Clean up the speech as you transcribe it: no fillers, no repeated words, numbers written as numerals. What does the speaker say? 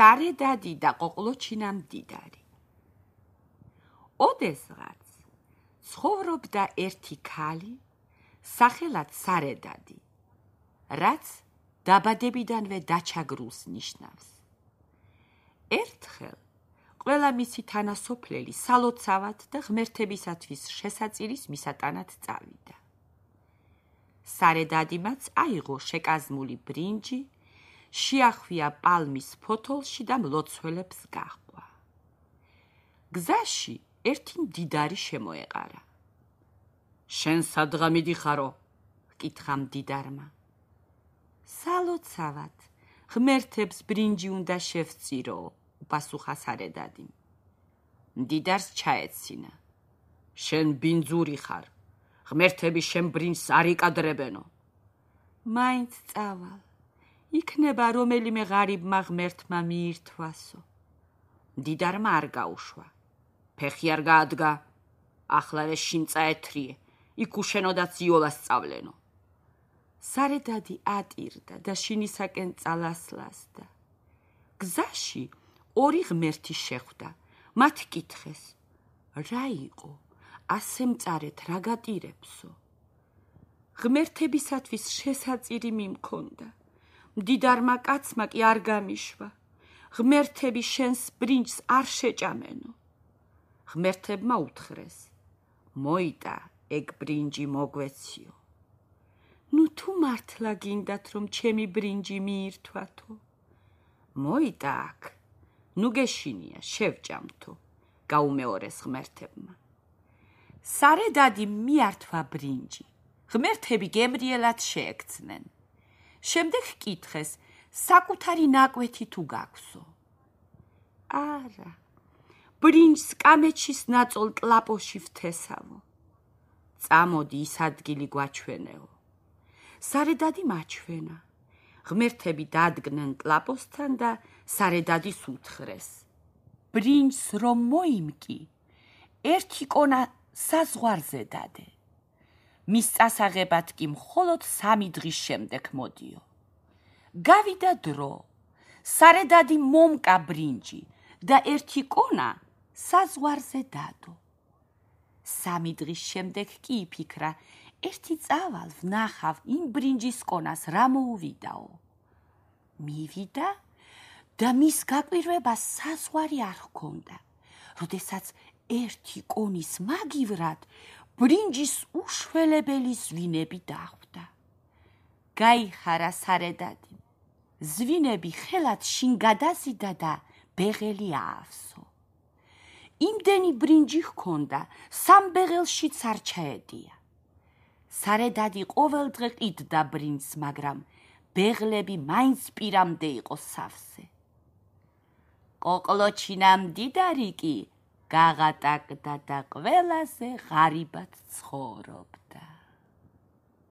სარედადი და ყოყლოჩინა მდიდარი. ოდესღაც ცხოვრობდა ერთი ქალი, სახელად სარედადი, რაც დაბადებიდანვე დაჩაგრულს ნიშნავს. ერთხელ ყველა მისი თანასოფლელი სალოცავად და ღმერთებისათვის შესაწირის მისატანად წავიდა. სარედადიმაც აიღო შეკაზმული ბრინჯი, შეახვია პალმის ფოთოლში და მლოცველებს გაჰყვა. გზაში ერთი მდიდარი შემოეყარა. შენ სადღა მიდიხარო? ჰკითხა მდიდარმა. სალოცავად, ღმერთებს ბრინჯი უნდა შევწირო, უპასუხა სარედადიმ. მდიდარს ჩაეცინა. შენ ბინძური ხარ, ღმერთები შენ ბრინჯს არ იკადრებენო. მაინც წავალ, იქნება რომელიმე ღარიბმა ღმერთმა მიირთვასო. მდიდარმა არ გაუშვა. ფეხი არ გაადგა, ახლა ეს შინ წაეთრიე, იქ უშენოდაც იოლას სწავლენო. სარედადი ატირდა და შინისაკენ წალასლასდა. გზაში ორი ღმერთი შეხვდა, მათ კითხეს, რა იყო, ასე მწარეთ რა გატირებსო? ღმერთებისათვის შესაწირი მიმქონდა, მდიდარმა კაცმა კი არ გამიშვა, ღმერთები შენს ბრინჯს არ შეჭამენო. ღმერთებმა უთხრეს, მოიტა ეგ ბრინჯი მოგვეციო. ნუ თუ მართლა გინდათ რომ ჩემი ბრინჯი მიირთვათო? მოიტა აქ, ნუ გეშინია, შევჭამთო, გაუმეორეს ღმერთებმა. სარედადი მიართვა ბრინჯი, ღმერთები გემრიელად შეექცნენ. შემდეგ კითხეს, საკუთარი ნაკვეთი თუ გაქვსო? არა, ბრინჯს კამეჩის ნაწოლ ტლაპოში ვთესავო. წამოდი ის ადგილი გვაჩვენეო. სარედადი მაჩვენა. ღმერთები დადგნენ ტლაპოსთან და სარედადის უთხრეს. ბრინჯს რომ მოიმკი, ერთი კონა საზღვარზე დადე. მის წასაღებად კი მხოლოდ 3 დღის შემდეგ მოდიო. გავიდა დრო, სარედადი მომკა ბრინჯი და ერთი კონა საზღვარზე დადო. 3 დღის შემდეგ კი იფიქრა, ერთი წავალ ვნახავ იმ ბრინჯის კონას რა მოუვიდაო. მივიდა და მის გაკვირვებას საზღვარი არ ჰქონდა, როდესაც ერთი კონის მაგივრად ბრინჯის უშველებელი ზვინები დახვდა. გაიხარა სარედადი, ზვინები ხელად შინ გადაზიდა და ბეღელი აავსო. იმდენი ბრინჯი ჰქონდა, 3 ბეღელშიც არ ჩაედია. სარედადი ყოველდღე ყიდდა ბრინჯს, მაგრამ ბეღლები მაინც პირამდე იყო სავსე. ყოყლოჩინა მდიდარი კი გაღატაკდა და ყველაზე ღარიბად ცხოვრობდა.